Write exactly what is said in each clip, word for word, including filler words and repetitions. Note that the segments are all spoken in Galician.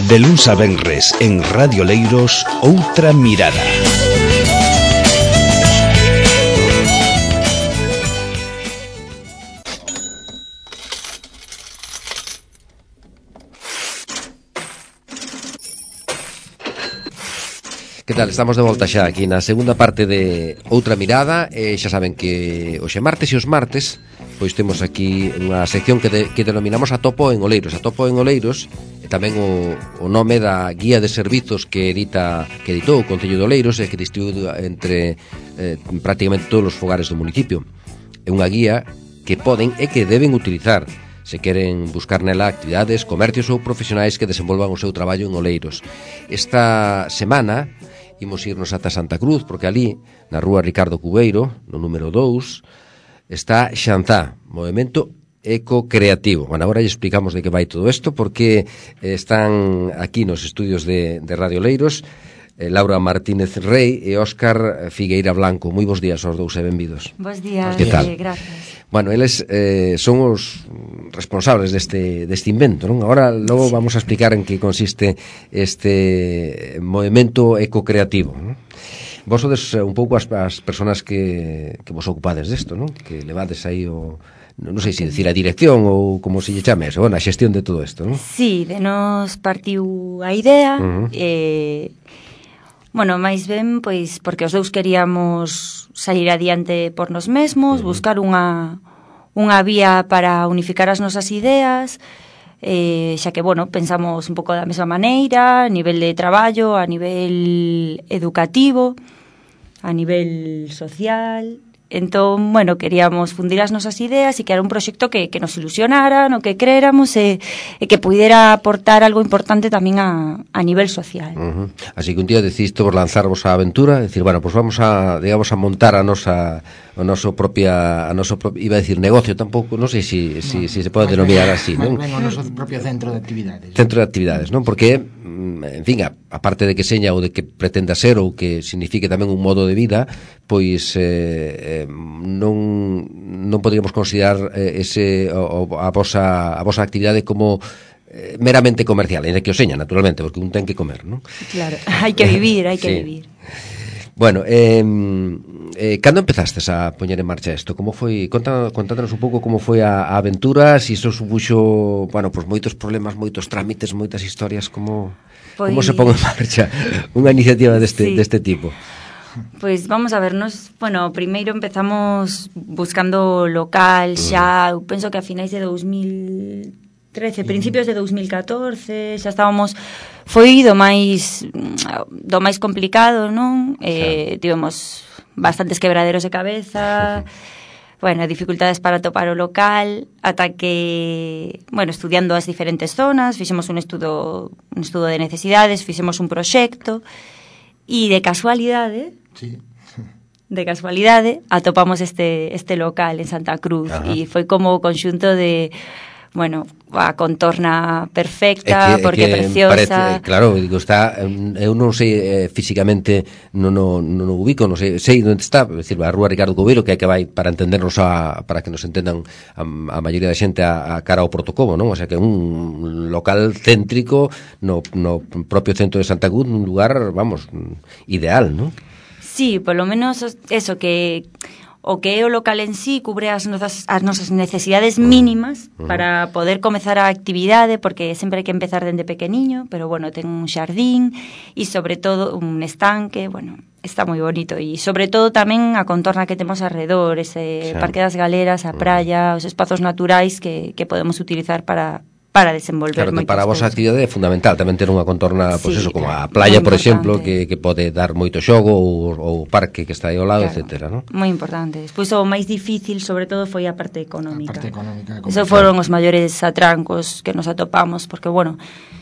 De luns a venres en Radio Leiros, Outra Mirada. Que tal? Estamos de volta xa aquí na segunda parte de Outra Mirada. E xa saben que hoxe martes e os martes pois temos aquí unha sección que, de, que denominamos Atopo en Oleiros. Atopo en Oleiros e tamén o, o nome da guía de servizos que edita que editou o Concello de Oleiros e que distribuíu entre eh, prácticamente todos os fogares do municipio. É unha guía que poden e que deben utilizar se queren buscar nela actividades, comercios ou profesionais que desenvolvan o seu traballo en Oleiros. Esta semana imos irnos ata Santa Cruz, porque ali, na rúa Ricardo Cubeiro, no número dous, está Xanzá, Movemento Eco-Creativo. Bueno, agora lle explicamos de que vai todo isto, porque están aquí nos estudios de, de Radio Oleiros eh, Laura Martínez Rey e Óscar Figueira Blanco. Moi bons días aos dous e benvidos. Bos días, que tal? Eh, gracias. Bueno, eles eh, son os responsables deste, deste invento, non? Agora logo sí. Vamos a explicar en que consiste este movemento eco-creativo, non? Vos sodes un pouco as, as personas que, que vos ocupades desto, non? Que levades aí o... non sei se decir a dirección ou como se lle chame, bueno, a xestión de todo isto, non? Sí, de nos partiu a idea, uh -huh. eh... Bueno, máis ben, pois, porque os dous queríamos salir adiante por nos mesmos, uh -huh. buscar unha, unha vía para unificar as nosas ideas, eh, xa que, bueno, pensamos un pouco da mesma maneira, a nivel de traballo, a nivel educativo, a nivel social. Entón, bueno, queríamos fundir as nosas ideas e que era un proxecto que, que nos ilusionara, no que creéramos e, e que pudiera aportar algo importante tamén a, a nivel social. Uh -huh. Así que un día decidiste vos lanzarvos a aventura, decir, bueno, pues vamos a, digamos, a montar a nosa o noso propia, a noso pro, iba a decir negocio, tampouco, non sei se si, no, si, si se pode denominar así, non? Ben, o noso propio centro de actividades. Centro de actividades, non? Porque, en fin, a, aparte de que seña ou de que pretenda ser ou que signifique tamén un modo de vida, pois eh, eh, non non poderíamos considerar eh, ese o, a vosa a vosa actividade como eh, meramente comercial, en que o seña, naturalmente, porque un ten que comer, non? Claro, hai que vivir, hai que sí. vivir. Bueno, eh, eh, cando empezastes a poñer en marcha isto? Como foi? Conta, contándonos un pouco como foi a, a aventura, se iso supuxo, bueno, pues moitos problemas, moitos trámites, moitas historias, como pues... como se pon en marcha unha iniciativa deste, sí. deste tipo? Pois vamos a vernos, bueno, primeiro empezamos buscando local xa, eu penso que a finais de dous mil trece, principios de dous mil catorce, xa estábamos, foi do máis do máis complicado, non? Eh, tivemos bastantes quebraderos de cabeza, bueno, dificultades para topar o local, ata que, bueno, estudiando as diferentes zonas, fixemos un estudo, un estudo de necesidades, fixemos un proxecto, e de casualidade, sí. de casualidade, atopamos este este local en Santa Cruz. Ajá. E foi como o conxunto de, bueno, a contorna perfecta, que, porque é preciosa. Parece, claro, digo, está, eu non sei eh, físicamente, non no, no, no ubico, non sei, sei onde está, é dicir, a rúa Ricardo Cubeiro, que é que vai para entendernos a, para que nos entendan a, a maioría da xente a, a cara ao Portocobo, non? O sea, que é un local céntrico no, no propio centro de Santa Cruz, un lugar, vamos, ideal, non? Sí, polo menos eso, que o que é o local en sí cubre as nosas, as nosas necesidades mínimas uh -huh. para poder comezar a actividade, porque sempre hai que empezar dende pequeniño, pero bueno, ten un xardín e sobre todo un estanque, bueno, está moi bonito, e sobre todo tamén a contorna que temos alrededor, ese sí. Parque das Galeras, a praia, os espazos naturais que, que podemos utilizar para para desenvolver claro, moitas para a vosa actividade é fundamental tamén ter unha contorna, pois pues sí, eso, como a playa, por exemplo, que, que pode dar moito xogo, ou o parque que está aí ao lado, claro, etcétera, non? Moi importante. Despois o máis difícil, sobre todo, foi a parte económica. A parte económica. Eso foron os maiores atrancos que nos atopamos, porque, bueno,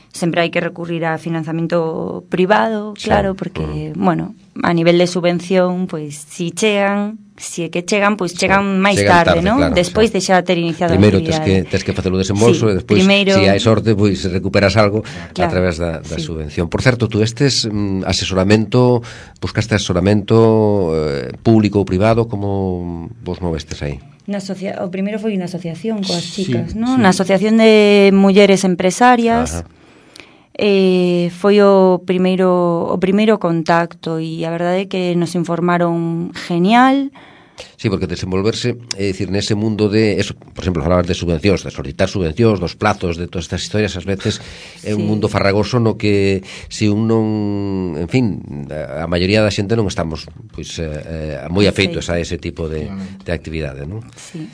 sempre hai que recurrir a financiamento privado, claro, sí. porque, uh -huh. bueno, a nivel de subvención, pois, si chegan, si é que chegan, pois chegan máis tarde, tarde, non? Claro, despois sí. de xa ter iniciado primeiro a actividade. Primeiro tes que, tes que facer o desembolso sí, e despois, primeiro... se hai sorte, pois recuperas algo claro, a través da, da sí. subvención. Por certo, tú estes mm, asesoramento, buscaste asesoramento eh, público ou privado, como vos movestes aí? Na asocia... O primeiro foi unha asociación coas chicas, sí, non? Sí. Na asociación de mulleres empresarias. Ajá. eh, foi o primeiro o primeiro contacto e a verdade é que nos informaron genial. Sí, porque desenvolverse, é dicir, nese mundo de eso, por exemplo, falar de subvencións, de solicitar subvencións, dos plazos, de todas estas historias, ás veces é un Sí. mundo farragoso no que se un non, en fin, a maioría da xente non estamos pois eh, moi afeitos a ese tipo de, de actividade, non? Sí.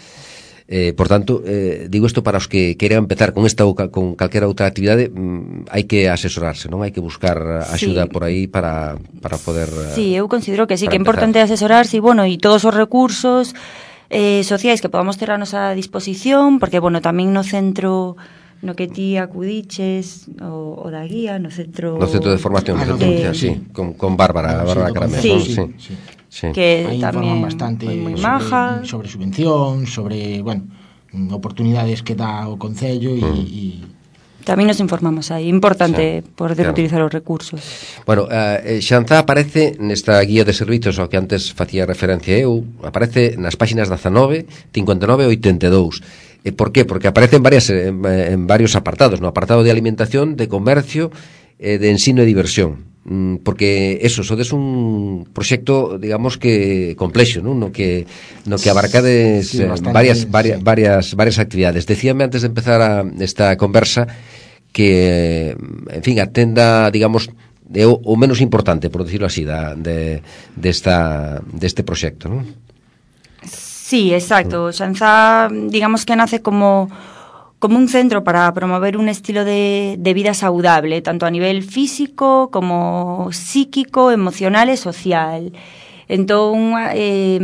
Eh, por tanto, eh, digo isto para os que queiran empezar con esta ou ca- con calquera outra actividade, mm, hai que asesorarse, non? Hai que buscar axuda Sí. por aí para, para poder... eh, Sí, eu considero que sí, para que é importante empezar. asesorarse e, bueno, e todos os recursos eh, sociais que podamos ter a nosa disposición, porque, bueno, tamén no centro no que ti acudiches, o, o da guía, no centro... No centro de formación, Ah, no no, centro, de- sí, con, con Bárbara, Ah, Bárbara sí, Caramelo, sí. ¿no? sí, sí. sí. Sí. que Aí tamén informan bastante foi moi sobre, maja. sobre subvención, sobre, bueno, oportunidades que dá o Concello e, e Tamén nos informamos aí, importante Sí, poder claro. utilizar os recursos. Bueno, eh, Xanzá aparece nesta guía de servizos ao que antes facía referencia eu, aparece nas páxinas dezanove, cincuenta e nove e oitenta e dous. E por qué? Porque aparece en, varias, en, en varios apartados, no apartado de alimentación, de comercio, eh, de ensino e diversión. Mm, porque eso, sodes un proxecto, digamos que complexo, non? No que no que abarcades Sí, eh, bastante, varias varias sí. varias varias actividades. Decíame antes de empezar a, esta conversa que, en fin, atenda, digamos, é o, o menos importante, por decirlo así, da, de, desta, deste proxecto, non? Sí, exacto. Xanzá, digamos que nace como como un centro para promover un estilo de, de vida saudable, tanto a nivel físico como psíquico, emocional e social. Entón, eh,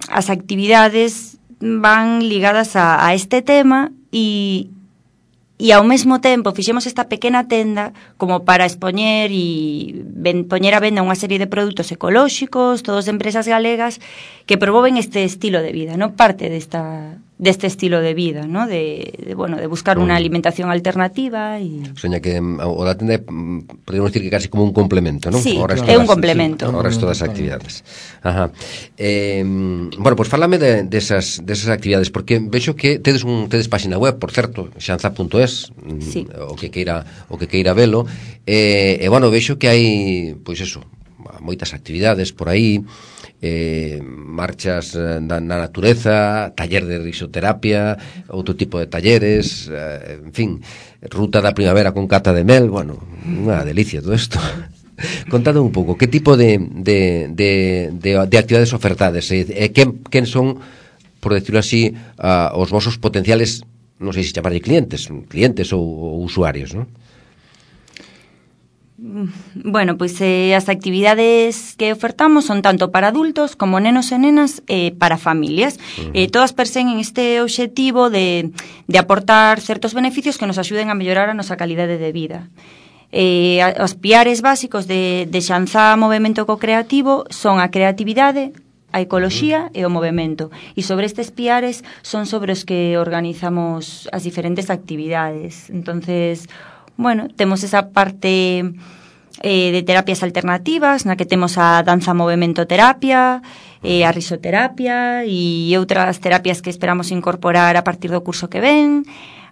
as actividades van ligadas a, a este tema e E ao mesmo tempo fixemos esta pequena tenda como para expoñer e ben, poñer a venda unha serie de produtos ecolóxicos, todos de empresas galegas que promoven este estilo de vida, ¿no? Parte desta deste estilo de vida, ¿no? De, de bueno, de buscar unha alimentación alternativa e O sea, que mm, o da tenda é, mm, podemos decir que casi como un complemento, non? Sí, Ao resto é un das- complemento. Ao resto das actividades. Ajá. Eh, bueno, pois pues fálame de, desas, desas actividades, porque vexo que tedes un tedes páxina web, por certo, xanza punto es, Sí. o que queira o que queira velo, eh, e bueno, vexo que hai, pois eso, moitas actividades por aí, eh, marchas eh, na, na natureza, taller de risoterapia, outro tipo de talleres, eh, en fin, ruta da primavera con cata de mel, bueno, unha delicia todo isto. Contade un pouco, que tipo de, de, de, de, de actividades ofertades e, e quen, quen son, por decirlo así, uh, os vosos potenciales, non sei se chamarlle clientes, clientes ou, ou usuarios, non? Bueno, pois eh, as actividades que ofertamos son tanto para adultos como nenos e nenas e eh, para familias. Uh-huh. eh, todas perseguen este obxectivo de, de aportar certos beneficios que nos axuden a mellorar a nosa calidade de vida. Eh, os piares básicos de, de Xanzá Movemento Co-Creativo son a creatividade, a ecoloxía e o movemento. E sobre estes piares son sobre os que organizamos as diferentes actividades. Entonces, bueno, temos esa parte eh, de terapias alternativas, na que temos a danza movemento terapia, eh, a risoterapia e outras terapias que esperamos incorporar a partir do curso que ven,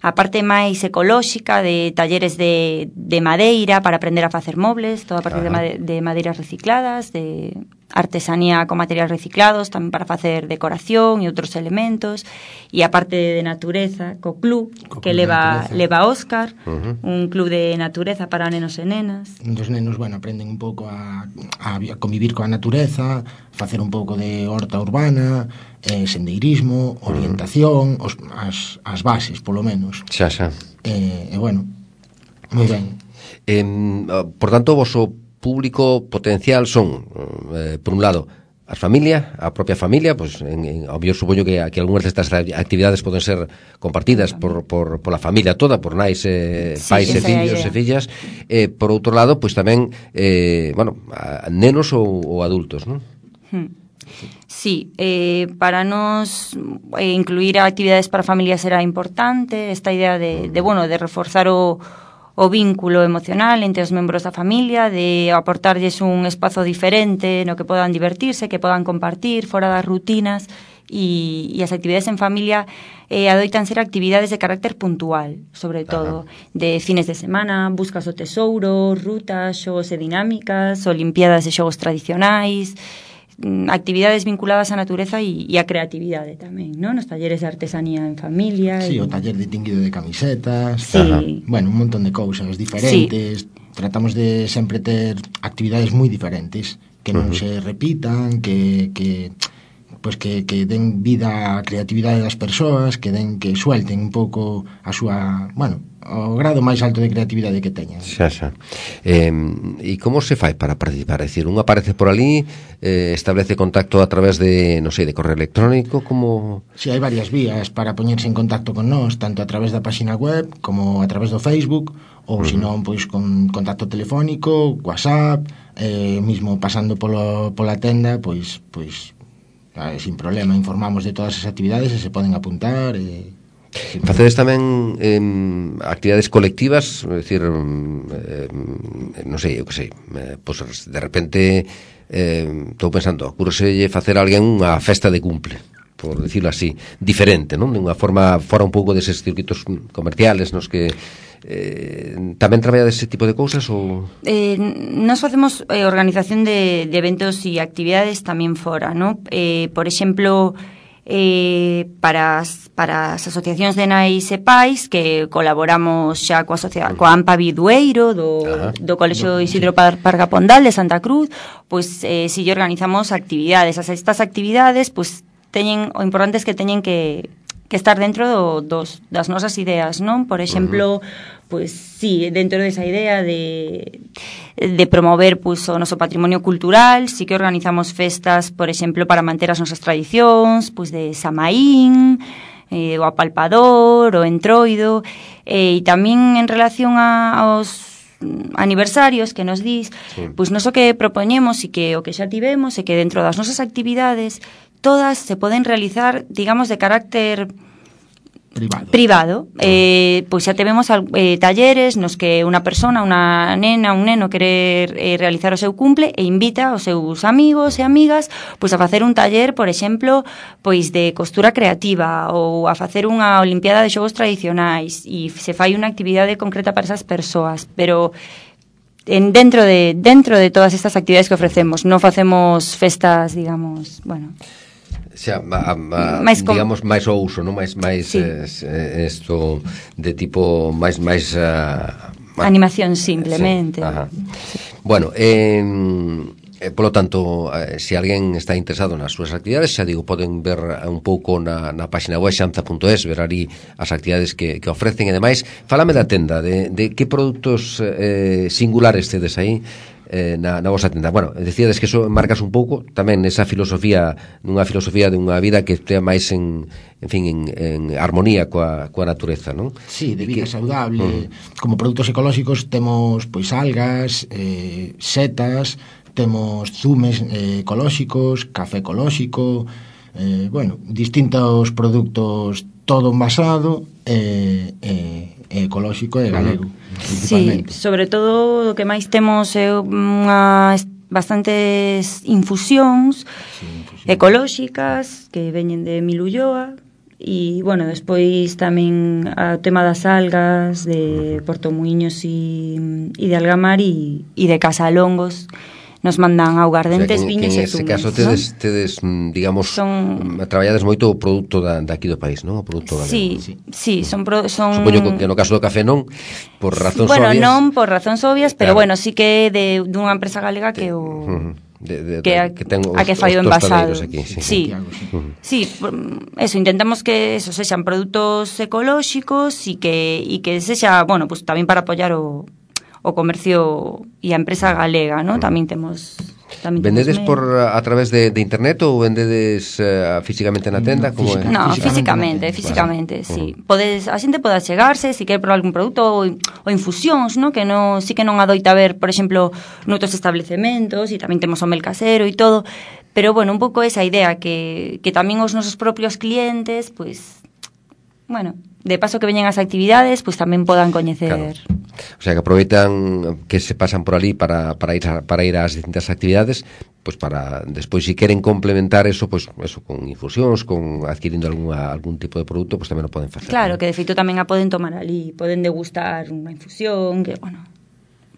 a parte máis ecolóxica de talleres de, de madeira para aprender a facer mobles, todo a partir de, made, de madeiras recicladas, de artesanía con materiais reciclados, tamén para facer decoración e outros elementos, e a parte de natureza, co club, co que club leva, leva Óscar, uh-huh. un club de natureza para nenos e nenas. Os nenos, bueno, aprenden un pouco a, a convivir coa natureza, facer un pouco de horta urbana, eh, sendeirismo, orientación, os, as, as bases, polo menos. Xa, xa. E, eh, bueno, moi ben. Eh, por tanto, o voso público potencial son, eh, por un lado, as familias, a propia familia, pues, en, en, yo supoño que, que algunhas destas actividades poden ser compartidas por, por, por la familia toda, por nais, eh, sí, pais e fillos e fillas. Eh, por outro lado, pues tamén, eh, bueno, a, nenos ou, ou adultos, non? Hmm. Sí, eh, para nos eh, incluir actividades para familias era importante esta idea de, de bueno, de reforzar o o vínculo emocional entre os membros da familia, de aportarlles un espazo diferente no que podan divertirse, que podan compartir fora das rutinas e, e as actividades en familia eh, adoitan ser actividades de carácter puntual, sobre todo, Ajá. de fines de semana, buscas do tesouro, rutas, xogos e dinámicas, olimpiadas de xogos tradicionais, actividades vinculadas á natureza e, e á creatividade tamén, non? Nos talleres de artesanía en familia. Sí, e... o taller de tinguido de camisetas. Sí. Ajá. Bueno, un montón de cousas diferentes. Sí. Tratamos de sempre ter actividades moi diferentes, que non uh-huh. se repitan, que... que pues que, que den vida á creatividade das persoas, que den que suelten un pouco a súa, bueno, o grado máis alto de creatividade que teñan. Xa, xa. Eh, e como se fai para participar? É dicir, un aparece por ali, eh, establece contacto a través de, non sei, de correo electrónico, como... Si, sí, hai varias vías para poñerse en contacto con nós, tanto a través da página web como a través do Facebook, ou uh-huh. senón, pois, con contacto telefónico, WhatsApp, eh, mismo pasando polo, pola tenda, pois, pois, eh, sin problema, informamos de todas as actividades e se poden apuntar e... Facedes tamén eh, actividades colectivas, é dicir, eh, non sei, eu que sei, eh, pois de repente estou eh, pensando, ocurreselle facer a alguén unha festa de cumple, por decirlo así, diferente, non? De unha forma fora un pouco deses circuitos comerciales nos que eh, tamén traballa dese tipo de cousas ou... Eh, nos facemos eh, organización de, de eventos e actividades tamén fora, non? Eh, por exemplo... Eh, para, as, para as asociacións de nais e pais que colaboramos xa coa, asocia- coa AMPA Bidueiro do, do Colexio Isidro Parga Pondal de Santa Cruz, pois eh, si lle organizamos actividades. As estas actividades pois teñen, o importante é que teñen que que estar dentro do, dos, das nosas ideas, non? Por exemplo, uh-huh. pois sí, dentro desa idea de, de promover pois, o noso patrimonio cultural, sí que organizamos festas, por exemplo, para manter as nosas tradicións, pois de Samaín, eh, o Apalpador, o Entroido, eh, e tamén en relación a, aos aniversarios que nos dis, sí. pois nos o que propoñemos e que o que xa tivemos é que dentro das nosas actividades todas se poden realizar, digamos, de carácter privado. privado. Eh, pois xa tivemos eh, talleres nos que unha persona, unha nena, un neno quere eh, realizar o seu cumple e invita aos seus amigos e amigas pois a facer un taller, por exemplo, pois de costura creativa ou a facer unha olimpiada de xogos tradicionais e se fai unha actividade concreta para esas persoas, pero en dentro de dentro de todas estas actividades que ofrecemos, non facemos festas, digamos, bueno, xa, a, a, máis com... digamos máis o uso, non máis máis sí. eh, esto de tipo máis máis uh, animación simplemente. Sí, ajá. Bueno, eh, eh, polo tanto, eh, se alguén está interesado nas súas actividades, xa digo, poden ver un pouco na, na página web xanza punto es, ver ali as actividades que, que ofrecen e demais. Fálame da tenda, de, de que produtos eh, singulares tedes aí eh, na, na vosa tenda. Bueno, decíades que eso marcas un pouco tamén esa filosofía, nunha filosofía de unha vida que estea máis en, en fin, en, en armonía coa, coa natureza, non? Sí, de vida que... saudable. Uh-huh. Como produtos ecolóxicos temos pois algas, eh, setas, temos zumes eh, ecolóxicos, café ecolóxico, eh, bueno, distintos produtos, todo envasado e eh, eh, ecolóxico e galego. Sí, sobre todo o que máis temos é unhas bastantes infusións sí, ecolóxicas que veñen de Milulloa e, bueno, despois tamén o tema das algas de Portomuiños e, e de Algamar e, e de Casalongos nos mandan augardentes, o sea, viños e zumes. En ese caso tedes, ¿no? tedes digamos, son... traballades moito o produto da, daqui do país, non? O produto galego. Sí, sí, sí, son, pro, son... Supoño que no caso do café non, por razóns bueno, obvias. Bueno, non por razóns obvias, pero claro. Bueno, sí que de dunha empresa galega que o... Uh-huh. De, de, que, a, que ten os, a que fai o envasado. Aquí, sí, sí, uh-huh. sí, eso, intentamos que eso sexan produtos ecolóxicos e que, e que sexa, bueno, pues tamén para apoiar o, o comercio e a empresa galega, ¿no? Uh-huh. Tamén temos... Vendedes por a través de, de internet ou vendedes uh, físicamente na tenda? No, como física, no físicamente, físicamente, vale. Sí. Uh-huh. Podes, a xente pode chegarse se si quer probar algún produto ou, ou infusións, ¿no? Que no, sí que non adoita ver, por exemplo, noutros establecementos e tamén temos o mel casero e todo, pero bueno, un pouco esa idea que, que tamén os nosos propios clientes, pues, bueno, de paso que veñen as actividades, pues tamén podan coñecer. Claro. O sea, que aproveitan que se pasan por ali para, para, ir, a, para ir ás distintas actividades, pues para despois si queren complementar eso, pues eso con infusións, con adquirindo alguna, algún tipo de produto, pues tamén o poden facer. Claro, ¿no? que de feito tamén a poden tomar ali, poden degustar unha infusión, que bueno,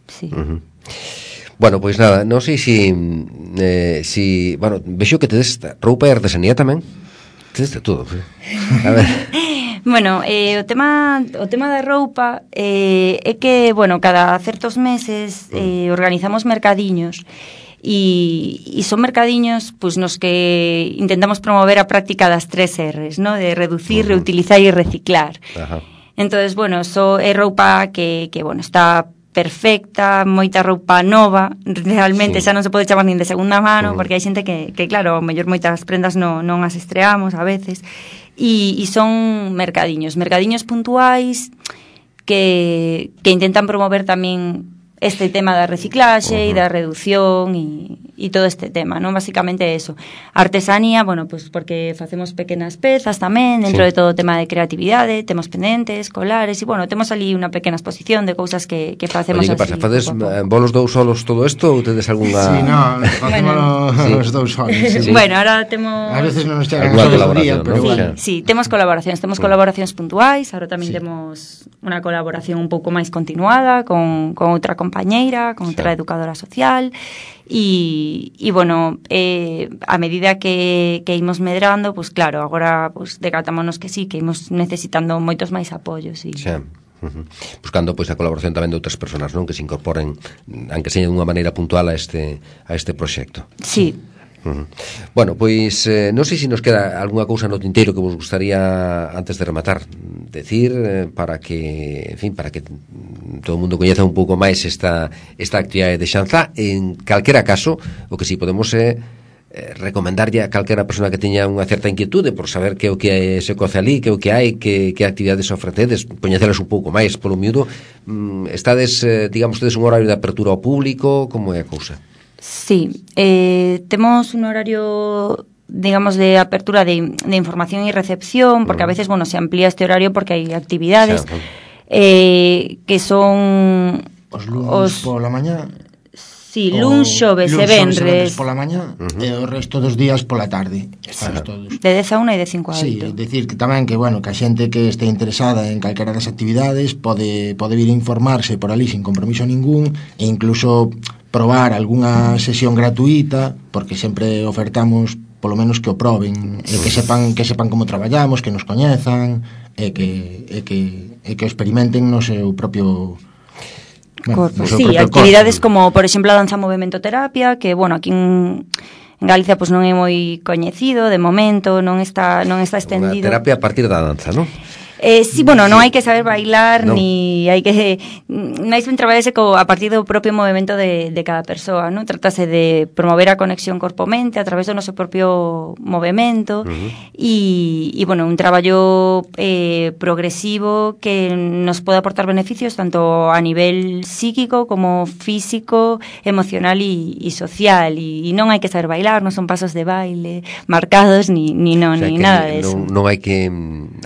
sí. Uh-huh. Bueno, pois pues nada, non sei si eh, si, bueno, vexo que tedes roupa e artesanía tamén. Tedes de todo. A ver. Bueno, eh, o tema o tema da roupa eh, é que, bueno, cada certos meses eh, organizamos mercadiños. E, e son mercadiños pues, nos que intentamos promover a práctica das tres R's, ¿no? De reducir, uh-huh. reutilizar e reciclar. Ajá. Entonces, bueno, so é roupa que, que bueno, está perfecta, moita roupa nova, realmente sí. Xa non se pode chamar nin de segunda mano, uh-huh. porque hai xente que, que claro, mellor moitas prendas non, non as estreamos a veces, e, e son mercadiños, mercadiños puntuais que, que intentan promover tamén este tema da reciclaxe uh-huh. e da reducción e, e todo este tema, non? Basicamente eso. Artesanía, bueno, pues porque facemos pequenas pezas tamén, dentro sí. de todo o tema de creatividade, temos pendentes, colares, e bueno, temos ali unha pequena exposición de cousas que, que facemos. Oye, que pasa? Fades bolos dous solos todo isto ou tedes algunha... Sí, no, facemos bueno, os dous solos. Sí. Bueno, ahora temos... A veces non nos chegan a colaboración, pero ¿no? bueno. Sí, sí, temos colaboracións, temos sí. colaboracións puntuais, ahora tamén sí. temos unha colaboración un pouco máis continuada con, con outra compañeira, con outra sí. educadora social e, e bueno, eh, a medida que, que imos medrando, pues claro, agora pues, decatámonos que sí, que imos necesitando moitos máis apoios. E... Sí. Uh-huh. Buscando pois a colaboración tamén de outras persoas, non, que se incorporen, aunque seña dunha maneira puntual a este a este proxecto. Sí. Uh-huh. Bueno, pois eh, non sei se nos queda algunha cousa no tinteiro que vos gustaría antes de rematar decir eh, para que, en fin, para que todo o mundo coñeza un pouco máis esta esta actividade de Xanzá. En calquera caso, o que si podemos é eh, recomendarlle a calquera persona que teña unha certa inquietude por saber que o que se coce ali, que o que hai, que, que actividades ofrecedes, coñecelas un pouco máis polo miúdo. Mm, estades, eh, digamos, tedes un horario de apertura ao público, como é a cousa? Sí, eh, temos un horario, digamos, de apertura de, de información y recepción, porque uh-huh. a veces, bueno, se amplía este horario porque hai actividades sí, eh, que son... Os lunes os... pola mañá. Sí, luns, xoves e venres. Pola mañá uh-huh. e o resto dos días pola tarde. Estamos sí. todos. De dez a una e de cinco a oito. Sí, decir que tamén que, bueno, que a xente que este interesada en calquera das actividades pode, pode vir a informarse por ali sin compromiso ningún e incluso probar algunha sesión gratuita, porque sempre ofertamos polo menos que o proben, e que sepan que sepan como traballamos, que nos coñezan, e que e que e que o experimenten no seu propio bueno, no seu sí, propio actividades corpo. Como, por exemplo, a danza movimento terapia, que bueno, aquí en En Galicia pois pues, non é moi coñecido de momento, non está non está estendido. Unha terapia a partir da danza, non? Eh, sí, bueno, non hai que saber bailar, no. ni hai que... máis ben traballarse co, a partir do propio movimento de, de cada persoa, non? Trátase de promover a conexión corpo-mente a través do noso propio movimento uh-huh. e, e, bueno, un traballo eh, progresivo que nos pode aportar beneficios tanto a nivel psíquico como físico, emocional e, e social. E, e non hai que saber bailar, non son pasos de baile marcados, ni, ni, no, o sea, ni nada de eso. Non, non hai que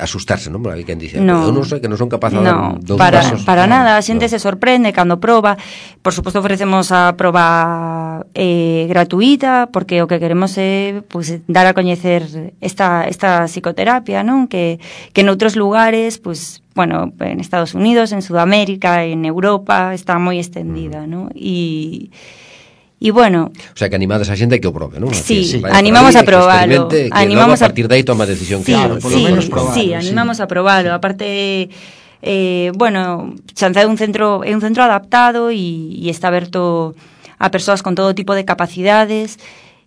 asustarse, non? Hai quen dice, no, eu non sei que non son capaz de no, dar dous para, pasos. Para no, nada, a xente no. se sorprende cando proba. Por suposto ofrecemos a proba eh, gratuita, porque o que queremos é pues, dar a coñecer esta, esta psicoterapia, non? Que, que en outros lugares, pues, bueno, en Estados Unidos, en Sudamérica, en Europa, está moi extendida, mm. non? E... E bueno, o sea, que animades a xente que o probe, non? Sí, sí. animamos ahí, a probalo, que animamos a partir de aí toma a decisión sí, claro, por lo menos probalo. Sí, animamos sí. a probalo. Aparte eh, bueno, Xanzá é un centro é un centro adaptado e, e está aberto a persoas con todo tipo de capacidades.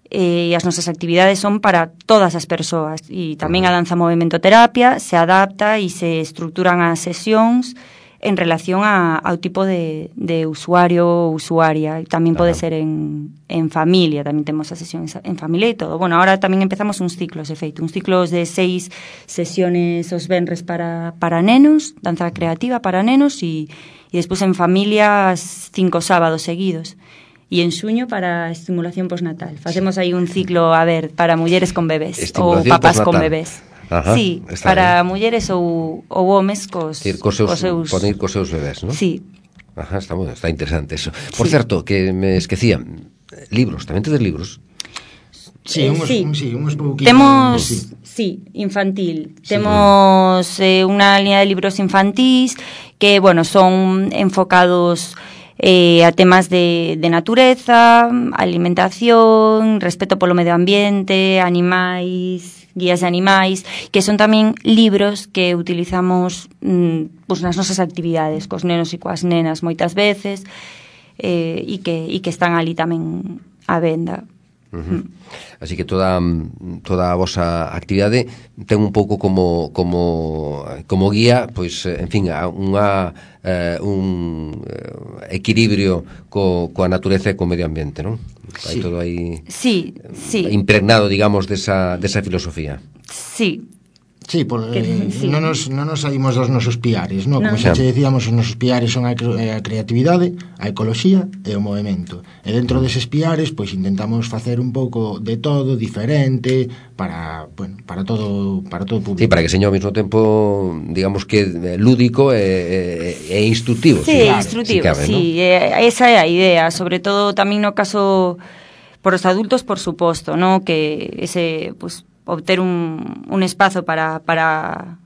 E as nosas actividades son para todas as persoas e tamén a danza movimento terapia se adapta e se estructuran as sesións en relación a, ao tipo de, de usuario ou usuaria. Tamén pode Ajá. ser en, en familia, tamén temos as sesións en familia e todo. Bueno, ahora tamén empezamos uns ciclos, de feito, uns ciclos de seis sesiones os venres para, para nenos, danza creativa para nenos, e, e despois en familia cinco sábados seguidos. E en xuño para estimulación postnatal. Facemos aí un ciclo, a ver, para mulleres con bebés ou papás postnatal. Con bebés. Ajá, sí, para bien. Mulleres ou, ou homes cos, decir, cos, seus, cos seus... poner cos seus bebés, non? Sí. Ajá, está, está interesante eso. Por sí. certo, que me esquecía, libros, tamén tedes libros? Sí, Eh, unhos, sí. un, sí, unhos pouquiños. Temos, Sí. sí, infantil. Sí. Temos eh, unha línea de libros infantís que, bueno, son enfocados eh, a temas de, de natureza, alimentación, respeto polo medio ambiente, animais, guías de animais, que son tamén libros que utilizamos mm, pues, nas nosas actividades, cos nenos e coas nenas moitas veces, eh, e, que, e que están ali tamén á venda. Uh-huh. Así que toda toda a vosa actividade ten un pouco como como como guía, pois en fin, unha eh, un equilibrio co, coa natureza e co medio ambiente, non? Hai Sí. todo aí Sí, sí. impregnado, digamos, desa desa filosofía. Sí. Sí, por, Que, eh, sí. non nos, non nos saímos dos nosos piares, no? Como No. xa che decíamos, os nosos piares son a, cre- a creatividade, a ecoloxía e o movemento. E dentro deses piares, pois intentamos facer un pouco de todo diferente para, bueno, para todo para todo o público. Sí, para que seña ao mesmo tempo, digamos que lúdico e, e, e instructivo. Sí, si, instrutivo, si cabe, sí, ¿no? eh, esa é a idea, sobre todo tamén no caso por os adultos, por suposto, ¿no? Que ese, pues, obter un, un espazo para, para,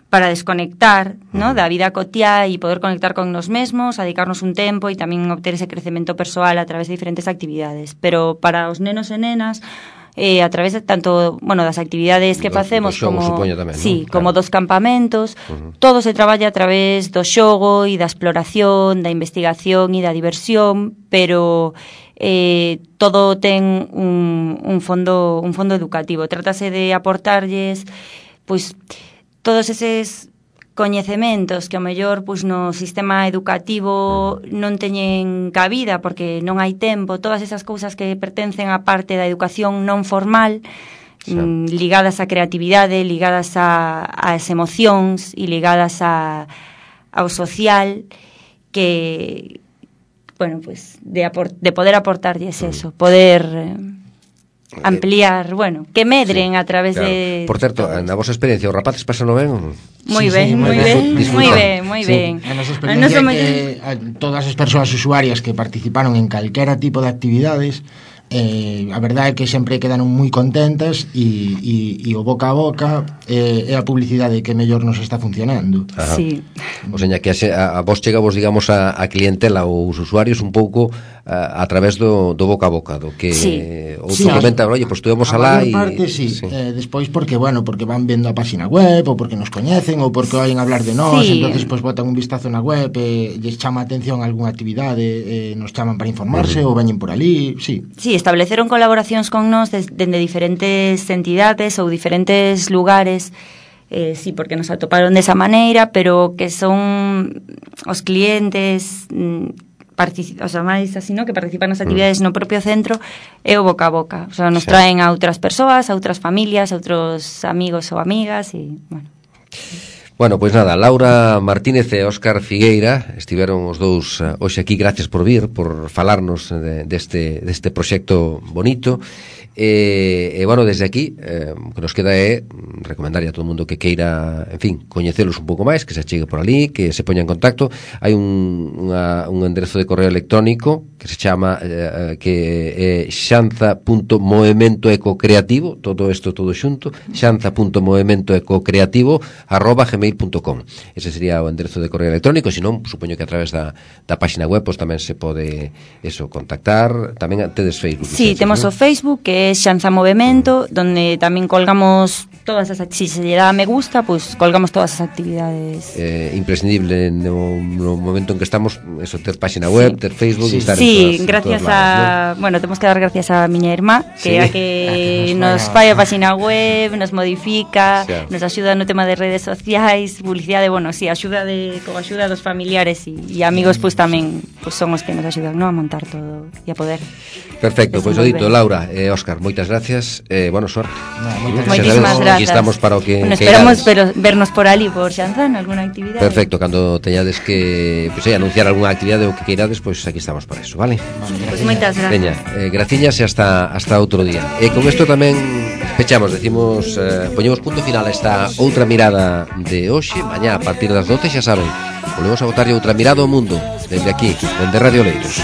para desconectar, ¿no? Da vida cotiá e poder conectar con nos mesmos, a dedicarnos un tempo e tamén obter ese crecemento persoal a través de diferentes actividades. Pero para os nenos e nenas, eh, a través de tanto, bueno, das actividades que Do- facemos do xogo, como supoño tamén, sí, ¿no? como Claro. dos campamentos, Uh-huh. todo se traballa a través do xogo e da exploración, da investigación e da diversión, pero eh, todo ten un, un fondo un fondo educativo. Trátase de aportarlles pois todos eses coñecementos que ao mellor pois no sistema educativo non teñen cabida porque non hai tempo, todas esas cousas que pertencen á parte da educación non formal, Xa. mm, ligadas á creatividade, ligadas a, ás emocións e ligadas a, ao social, que bueno, pues de, aport, de poder aportarlles eso, poder eh, ampliar, bueno, que medren Sí, a través claro. de... Por certo, na vosa experiencia, os rapaces pasano ben? Moi Sí, ben, sí, moi moi ben, disfrutan. moi ben, moi Sí. ben. A nosa A nosa experiencia é moi- que a, todas as persoas usuarias que participaron en calquera tipo de actividades, eh, a verdade é que sempre quedaron moi contentas e, e, e o boca a boca eh, é a publicidade que mellor nos está funcionando. Ajá. Sí. O seña que a, xe- a, a vos chegavos, digamos, a, a clientela ou os usuarios un pouco a, a través do, do boca a boca, do que Sí. outro Sí, comenta, oye, pues estuvemos a alá maior e... parte sí, sí. Eh, despois porque, bueno, porque van vendo a página web ou porque nos coñecen ou porque oyen hablar de nós, Sí. entonces pues botan un vistazo na web e lles chama a atención algunha actividade, eh, nos chaman para informarse ou veñen por ali, sí. Sí, estableceron colaboracións con nós des- dende diferentes entidades ou diferentes lugares, eh, sí, porque nos atoparon desa maneira, pero que son os clientes mm, partici- o sea, máis así, no? Que participan nas actividades no propio centro e o boca a boca, o sea, nos Sí. traen a outras persoas, a outras familias, a outros amigos ou amigas e, bueno. Bueno, pois nada, Laura Martínez e Óscar Figueira estiveron os dous uh, hoxe aquí, gracias por vir, por falarnos de, deste, deste proxecto bonito. E, e bueno, desde aquí eh, o que nos queda é recomendarlle a todo o mundo que queira, en fin, coñecelos un pouco máis, que se achegue por ali, que se poña en contacto. Hai un, unha, un enderezo de correo electrónico que se chama eh, que é xanza punto movemento ecocreativo, todo isto todo xunto, xanza punto movemento ecocreativo arroba gmail punto com. Ese sería o enderezo de correo electrónico, senón, supoño que a través da, da página web pues, tamén se pode eso, contactar. Tamén tedes Facebook. Sí, ustedes, temos ¿no? o Facebook, que é Xanza Movemento, donde tamén colgamos todas as actividades, si se lle dá me gusta, pues colgamos todas as actividades. Eh, imprescindible no, no momento en que estamos, eso, ter página web, Sí. ter Facebook Sí. e estar Sí, en todas, gracias en todos lados, a, bueno, temos que dar gracias a miña irmá, que Sí. é a que A que nos nos fai fai a a- página web, nos modifica, Xa. nos axuda no tema de redes sociais, publicidade, bueno, sí, axuda de con axuda dos familiares e, e amigos, pois pues, tamén pues, son os que nos axudan, no, a montar todo e a poder. Perfecto, pois pues, o dito, Desenvolver. Laura e eh, Óscar, moitas gracias, eh, bueno, suerte. No, moitas Moitísimas Aquí grazas. estamos para o que Bueno, que esperamos queirades. pero, vernos por ali, por Xanzán, alguna actividade. Perfecto, cando teñades que pues, eh, anunciar algunha actividade ou que queirades, pois pues, aquí estamos para eso, vale? Pois pues moitas gracias. Veña, eh, graciñas e hasta, hasta outro día. E con isto tamén pechamos, decimos, eh, poñemos punto final a esta outra mirada de hoxe. Mañá a partir das doce, xa saben, volvemos a botarlle outra mirada ao mundo, desde aquí, desde Radio Leiros.